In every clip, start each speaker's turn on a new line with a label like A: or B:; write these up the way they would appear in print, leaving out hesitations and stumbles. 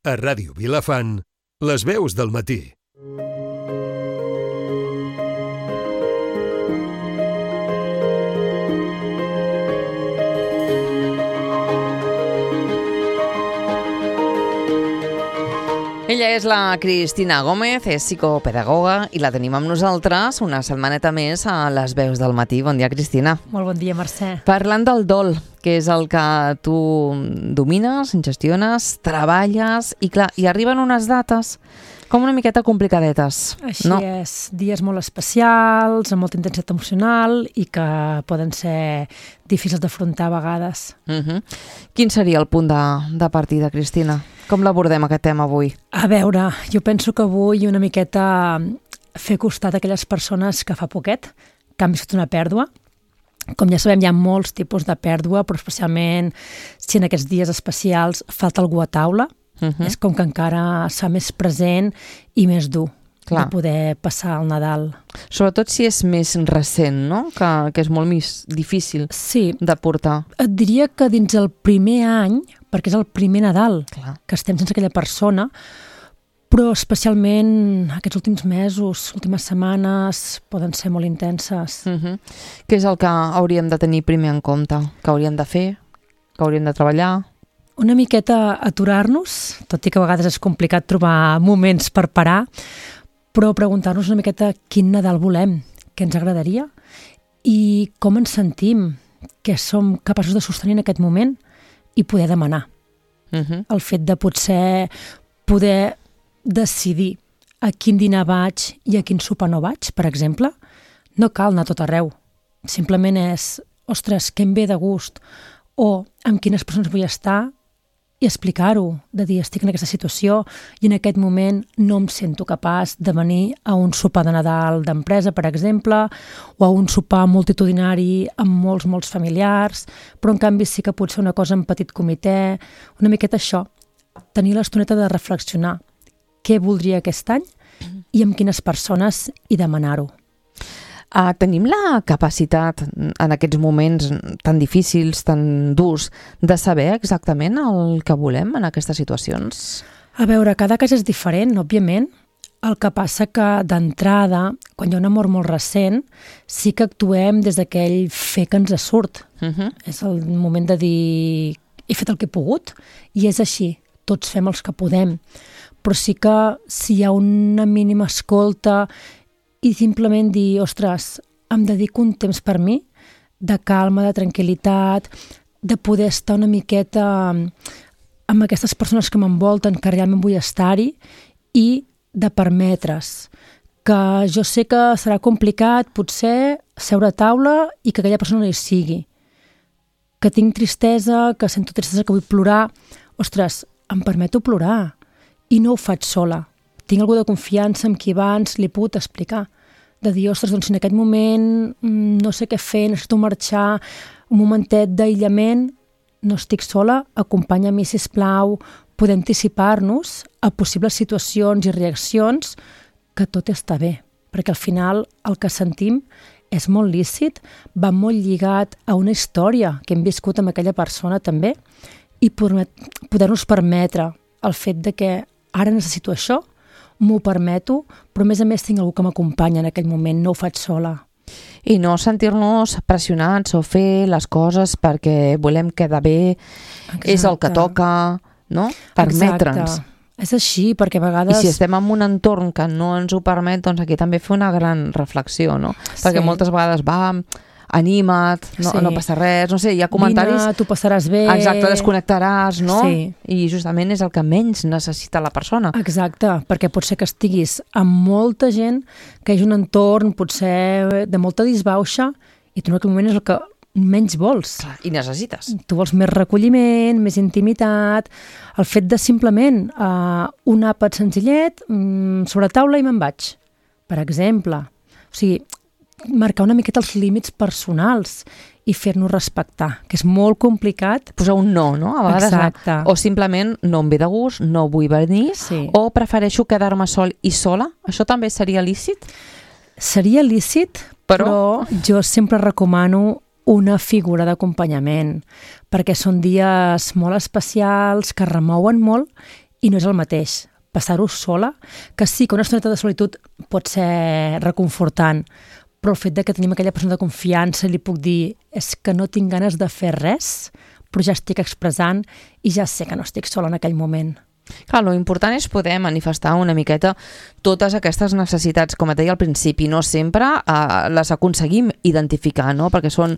A: A Ràdio Vilafant, les veus del matí.
B: Ella és la Cristina Gómez, és psicopedagoga i la tenim amb nosaltres una setmaneta més a les veus del matí. Bon dia, Cristina.
C: Molt bon dia, Mercè.
B: Parlant del dol, que és el que tu domines, gestiones, treballes i clar, hi arriben unes dates com una miqueta complicadetes.
C: Així
B: no?
C: és, dies molt especials, amb molta intensitat emocional i que poden ser difícils d'afrontar a vegades.
B: Quin seria el punt de partida, Cristina? Com l'abordem aquest tema avui?
C: A veure, jo penso que avui una miqueta fer costat a aquelles persones que fa poquet que han viscut una pèrdua. Com ja sabem, hi ha molts tipus de pèrdua, però especialment si en aquests dies especials falta algú a taula, és com que encara es fa més present i més dur. Clar. De poder passar el Nadal.
B: Sobretot si és més recent, no? Que és molt més difícil de portar.
C: Et diria que dins el primer any, perquè és el primer Nadal,
B: clar,
C: que estem sense aquella persona, però especialment aquests últims mesos, últimes setmanes, poden ser molt intenses.
B: Què és el que hauríem de tenir primer en compte? Què hauríem de fer? Què hauríem de treballar?
C: Una miqueta aturar-nos, tot i que a vegades és complicat trobar moments per parar, però preguntar-nos una miqueta quin Nadal volem, què ens agradaria i com ens sentim, què som capaços de sostenir en aquest moment i poder demanar. El fet de potser poder decidir a quin dinar vaig i a quin sopar no vaig, per exemple, no cal anar a tot arreu. Simplement és, ostres, què em ve de gust o amb quines persones vull estar i explicar-ho, de dir, estic en aquesta situació i en aquest moment no em sento capaç de venir a un sopar de Nadal d'empresa, per exemple, o a un sopar multitudinari amb molts familiars, però en canvi sí que pot ser una cosa en petit comitè, una miqueta això, tenir l'estoneta de reflexionar què voldria aquest any i amb quines persones i demanar-ho.
B: Tenim la capacitat en aquests moments tan difícils, tan durs, de saber exactament el que volem en aquestes situacions?
C: A veure, cada cas és diferent, òbviament. El que passa que d'entrada, quan hi ha una mort molt recent, sí que actuem des d'aquell fer que ens surt. És el moment de dir, he fet el que he pogut i és així, tots fem els que podem. Però sí que si hi ha una mínima escolta i simplement dir, ostres, em dedico un temps per mi, de calma, de tranquil·litat, de poder estar una miqueta amb aquestes persones que m'envolten, que realment vull estar-hi, i de permetre's que jo sé que serà complicat potser seure a taula i que aquella persona no hi sigui. Que tinc tristesa, que sento tristesa, que vull plorar. Ostres, em permeto plorar i no ho faig sola. Tinc algú de confiança amb qui abans li he pogut explicar. De dir, ostres, doncs si en aquest moment no sé què fer, necessito marxar, un momentet d'aïllament, no estic sola, acompanya-mi, sisplau, poder anticipar-nos a possibles situacions i reaccions que tot està bé. Perquè al final el que sentim és molt lícit, va molt lligat a una història que hem viscut amb aquella persona també i poder-nos permetre el fet de que ara necessito això, m'ho permeto, però a més tinc algú que m'acompanya en aquell moment, no ho faig sola.
B: I no sentir-nos pressionats o fer les coses perquè volem quedar bé, és el que toca, no? Permetre'ns.
C: Exacte. És així, perquè a vegades...
B: I si estem en un entorn que no ens ho permet, doncs aquí també fer una gran reflexió, no? Perquè moltes vegades anima't, no passa res, no sé, hi ha comentaris...
C: Vine, tu passaràs bé...
B: Exacte, desconnectaràs, no?
C: Sí.
B: I justament és el que menys necessita la persona.
C: Exacte, perquè pot ser que estiguis amb molta gent, que hi hagi un entorn potser de molta disbauxa, i tu en aquell moment és el que menys vols.
B: Clar, i necessites.
C: Tu vols més recolliment, més intimitat, el fet de simplement un àpat senzillet, sobre taula i me'n vaig, per exemple. O sigui, marcar una miqueta els límits personals i fer-nos respectar, que és molt complicat.
B: Posar un no, no? A vegades
C: exacte.
B: O simplement no em ve de gust, no vull venir, o prefereixo quedar-me sol i sola. Això també seria lícit?
C: Seria lícit, però jo sempre recomano una figura d'acompanyament, perquè són dies molt especials, que remouen molt i no és el mateix passar-ho sola, que sí que una estoneta de solitud pot ser reconfortant, però el fet de que tenim aquella persona de confiança i li puc dir és que no tinc ganes de fer res, però ja estic expressant i ja sé que no estic sola en aquell moment.
B: Clar, l'important és poder manifestar una miqueta totes aquestes necessitats, com et deia al principi, no sempre les aconseguim identificar, no? Perquè són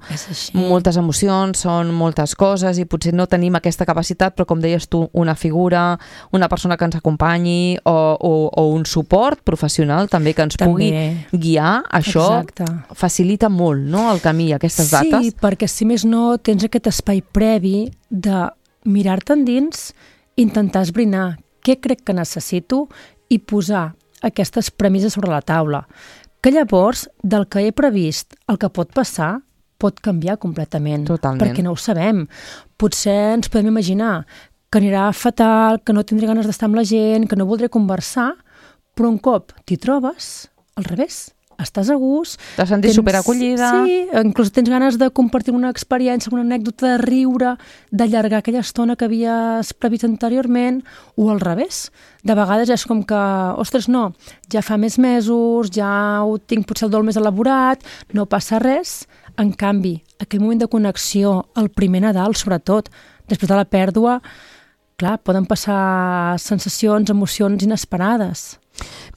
B: moltes emocions, són moltes coses i potser no tenim aquesta capacitat, però com deies tu, una figura, una persona que ens acompanyi o un suport professional també que ens pugui guiar, això facilita molt, no?, el camí, aquestes dates.
C: Sí, perquè si més no tens aquest espai previ de mirar-te endins, intentar esbrinar què crec que necessito i posar aquestes premisses sobre la taula, que llavors del que he previst el que pot passar pot canviar completament.
B: Totalment.
C: Perquè no ho sabem. Potser ens podem imaginar que anirà fatal, que no tindré ganes d'estar amb la gent, que no voldré conversar, però un cop t'hi trobes, al revés, estàs a gust.
B: T'has sentit superacollida.
C: Sí, inclús tens ganes de compartir una experiència, una anècdota, de riure, d'allargar aquella estona que havies previst anteriorment, o al revés. De vegades és com que, ostres, no, ja fa més mesos, ja ho tinc potser el dol més elaborat, no passa res. En canvi, aquell moment de connexió, el primer Nadal, sobretot, després de la pèrdua, clar, poden passar sensacions, emocions inesperades.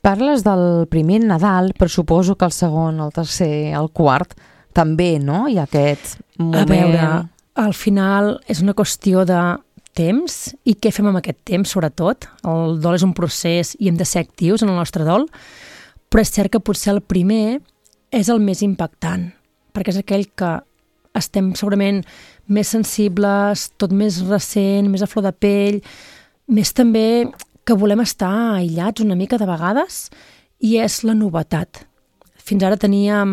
B: Parles del primer Nadal, però suposo que el segon, el tercer, el quart, també, no? Hi ha aquest moment...
C: A veure, al final és una qüestió de temps i què fem amb aquest temps, sobretot. El dol és un procés i hem de ser actius en el nostre dol, però és cert que potser el primer és el més impactant, perquè és aquell que estem segurament més sensibles, tot més recent, més a flor de pell, més també que volem estar aïllats una mica de vegades, i és la novetat. Fins ara teníem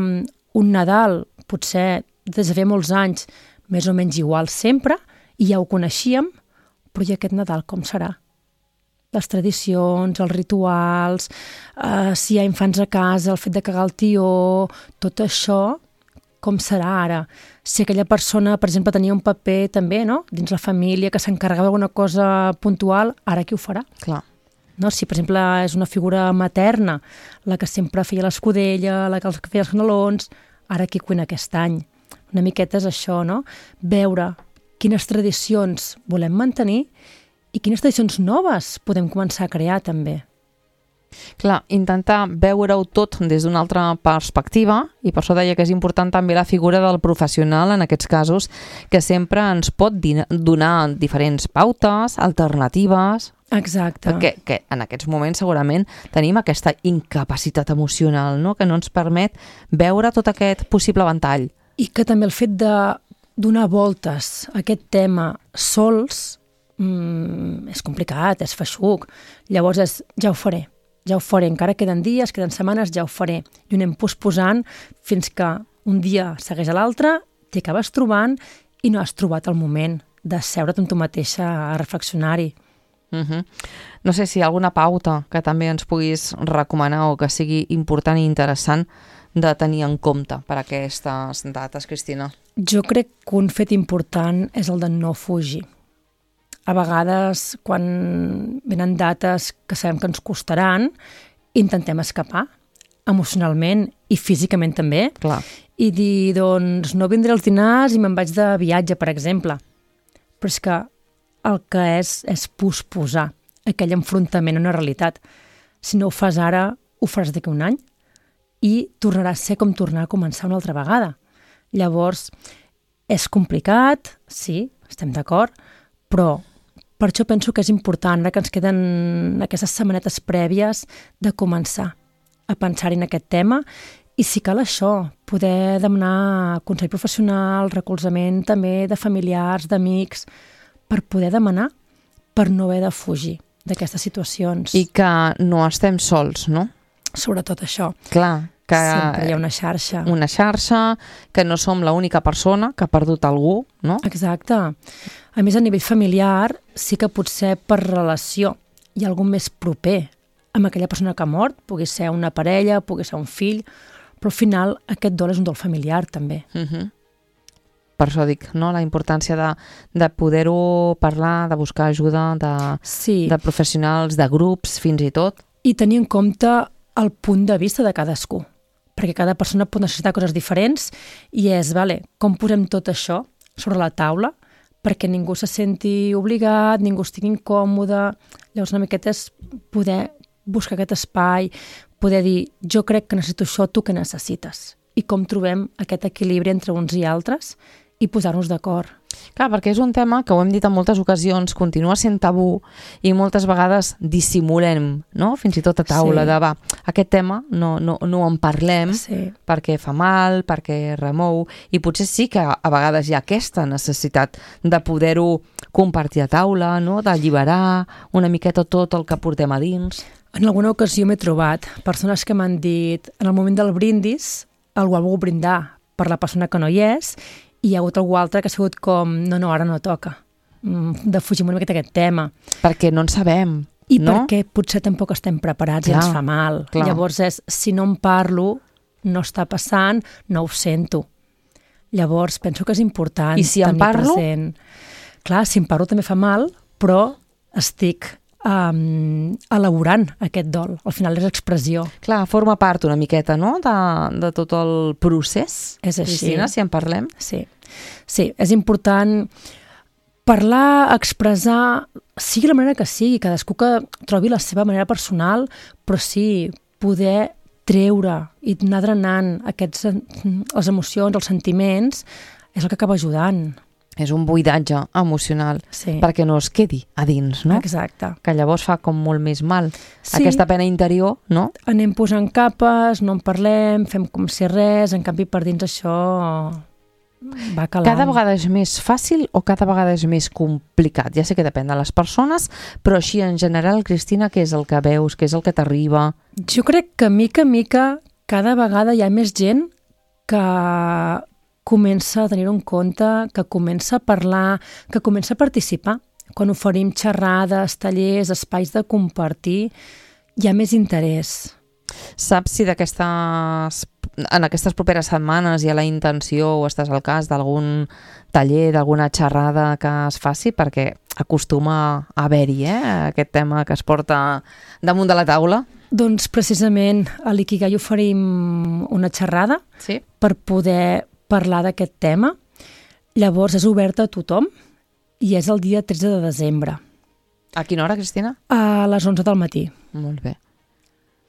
C: un Nadal, potser des de fa molts anys, més o menys igual sempre, i ja ho coneixíem, però i aquest Nadal com serà? Les tradicions, els rituals, si hi ha infants a casa, el fet de cagar el tió, tot això, com serà ara? Si aquella persona, per exemple, tenia un paper també, no?, dins la família, que s'encarregava d'alguna cosa puntual, ara qui ho farà?
B: Clar.
C: No? Si, per exemple, és una figura materna, la que sempre feia l'escudella, la que feia els canelons, ara qui cuina aquest any? Una miqueta és això, no? Veure quines tradicions volem mantenir i quines tradicions noves podem començar a crear, també.
B: Clar, intentar veure-ho tot des d'una altra perspectiva, i per això deia que és important també la figura del professional en aquests casos, que sempre ens pot donar diferents pautes, alternatives.
C: Exacte.
B: Perquè en aquests moments segurament tenim aquesta incapacitat emocional, no?, que no ens permet veure tot aquest possible ventall.
C: I que també el fet de donar voltes a aquest tema sols és complicat, és feixuc. Llavors ja ho faré, encara queden dies, queden setmanes, ja ho faré. I ho anem posposant fins que un dia segueix a l'altre, t'hi acabes trobant i no has trobat el moment de seure't amb tu mateixa a reflexionar-hi.
B: No sé si hi ha alguna pauta que també ens puguis recomanar o que sigui important i interessant de tenir en compte per a aquestes dates, Cristina.
C: Jo crec que un fet important és el de no fugir. A vegades, quan venen dates que sabem que ens costaran, intentem escapar emocionalment i físicament també.
B: Clar.
C: I dir, doncs, no vindré als dinars i me'n vaig de viatge, per exemple. Però és que el que és posposar aquell enfrontament a una realitat. Si no ho fas ara, ho faràs d'aquí un any i tornarà a ser com tornar a començar una altra vegada. Llavors, és complicat, sí, estem d'acord, però per això penso que és important, que ens queden aquestes setmanetes prèvies de començar a pensar-hi en aquest tema i si cal això, poder demanar consell professional, recolzament també de familiars, d'amics, per poder demanar, per no haver de fugir d'aquestes situacions.
B: I que no estem sols, no?
C: Sobretot això.
B: Clar, que
C: sempre hi ha una xarxa.
B: Una xarxa, que no som l'única persona que ha perdut algú, no?
C: Exacte. A més, a nivell familiar, sí que potser per relació hi ha algú més proper amb aquella persona que ha mort, pugui ser una parella, pugui ser un fill, però al final aquest dol és un dol familiar, també.
B: Per això dic, no? La importància de poder-ho parlar, de buscar ajuda, de professionals, de grups, fins i tot.
C: I tenir en compte el punt de vista de cadascú, perquè cada persona pot necessitar coses diferents i és, com posem tot això sobre la taula perquè ningú se senti obligat, ningú estigui incòmode. Llavors una miqueta és poder buscar aquest espai, poder dir, jo crec que necessito això, tu què necessites? I com trobem aquest equilibri entre uns i altres i posar-nos d'acord.
B: Clar, perquè és un tema que ho hem dit en moltes ocasions, continua sent tabú i moltes vegades dissimulem, no? Fins i tot a taula, aquest tema no en parlem perquè fa mal, perquè remou, i potser sí que a vegades hi ha aquesta necessitat de poder-ho compartir a taula, no? D'alliberar una miqueta tot el que portem a dins.
C: En alguna ocasió m'he trobat persones que m'han dit, en el moment del brindis, algú ha volgut brindar per la persona que no hi és, i hi ha hagut algú altre que ha sigut com, no, ara no toca, de fugir una miqueta aquest tema.
B: Perquè no en sabem,
C: I perquè potser tampoc estem preparats i ens fa mal. Clar. Llavors si no en parlo, no està passant, no ho sento. Llavors penso que és important
B: I si en parlo?
C: Present. Clar, si en parlo també fa mal, però estic elaborant aquest dol. Al final és expressió.
B: Clar, forma part una miqueta, no?, de tot el procés.
C: És així.
B: Cristina, si en parlem.
C: Sí, és important parlar, expressar, sigui la manera que sigui, cadascú que trobi la seva manera personal, però sí, poder treure i anar drenant les emocions, els sentiments, és el que acaba ajudant.
B: És un buidatge emocional, perquè no es quedi a dins, no?
C: Exacte.
B: Que llavors fa com molt més mal. Aquesta pena interior, no?
C: Anem posant capes, no en parlem, fem com si res, en canvi per dins això va calant.
B: Cada vegada és més fàcil o cada vegada és més complicat? Ja sé que depèn de les persones, però així en general, Cristina, què és el que veus, què és el que t'arriba?
C: Jo crec que mica en mica cada vegada hi ha més gent que comença a tenir-ho en compte, que comença a parlar, que comença a participar. Quan oferim xerrades, tallers, espais de compartir, hi ha més interès.
B: Saps si en aquestes properes setmanes hi ha la intenció o estàs al cas d'algun taller, d'alguna xerrada que es faci? Perquè acostuma a haver-hi aquest tema que es porta damunt de la taula.
C: Doncs precisament a l'Ikigai oferim una xerrada per poder parlar d'aquest tema. Llavors és oberta a tothom i és el dia 13 de desembre.
B: A quina hora, Cristina?
C: A les 11 del matí.
B: Molt bé.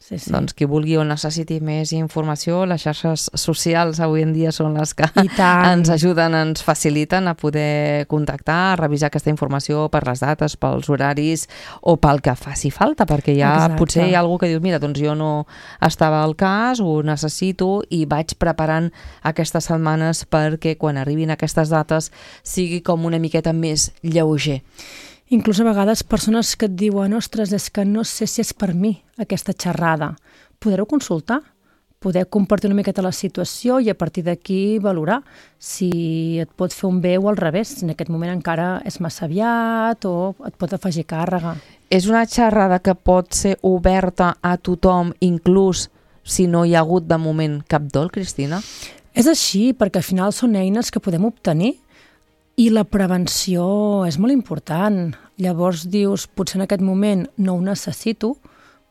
B: Doncs qui vulgui o necessiti més informació, les xarxes socials avui en dia són les que ens ajuden, ens faciliten a poder contactar, a revisar aquesta informació per les dates, pels horaris o pel que faci falta, perquè potser hi ha algú que diu, mira, doncs jo no estava al cas, ho necessito i vaig preparant aquestes setmanes perquè quan arribin aquestes dates sigui com una miqueta més lleuger.
C: Inclús a vegades persones que et diuen ostres, és que no sé si és per mi aquesta xerrada. Poder-ho consultar, poder compartir una miqueta la situació i a partir d'aquí valorar si et pot fer un bé o al revés, si en aquest moment encara és massa aviat o et pot afegir càrrega.
B: És una xerrada que pot ser oberta a tothom, inclús si no hi ha hagut de moment cap dol, Cristina?
C: És així, perquè al final són eines que podem obtenir i la prevenció és molt important. Llavors dius, potser en aquest moment no ho necessito,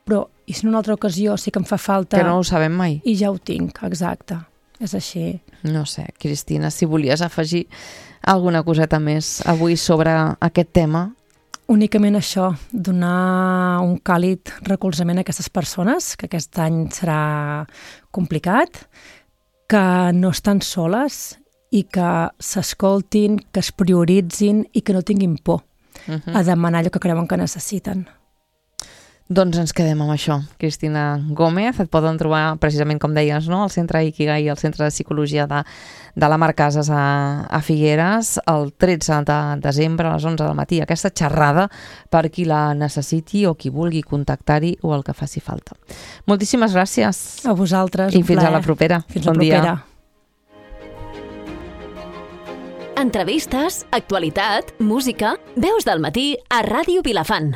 C: però i si en una altra ocasió sí que em fa falta...
B: Que no ho sabem mai.
C: I ja ho tinc, exacte. És així.
B: No sé, Cristina, si volies afegir alguna coseta més avui sobre aquest tema.
C: Únicament això, donar un càlid recolzament a aquestes persones, que aquest any serà complicat, que no estan soles i que s'escoltin, que es prioritzin i que no tinguin por a demanar allò que creuen que necessiten.
B: Doncs ens quedem amb això. Cristina Gómez, et poden trobar precisament, com deies, no? Al Centre Ikigai, al Centre de Psicologia de la Mar Casas a Figueres, el 13 de desembre a les 11 del matí. Aquesta xerrada per qui la necessiti o qui vulgui contactar-hi o el que faci falta. Moltíssimes gràcies.
C: A vosaltres,
B: un plaer. I fins a la propera.
C: Fins la propera.
D: Entrevistes, actualitat, música, veus del matí a Ràdio Vilafant.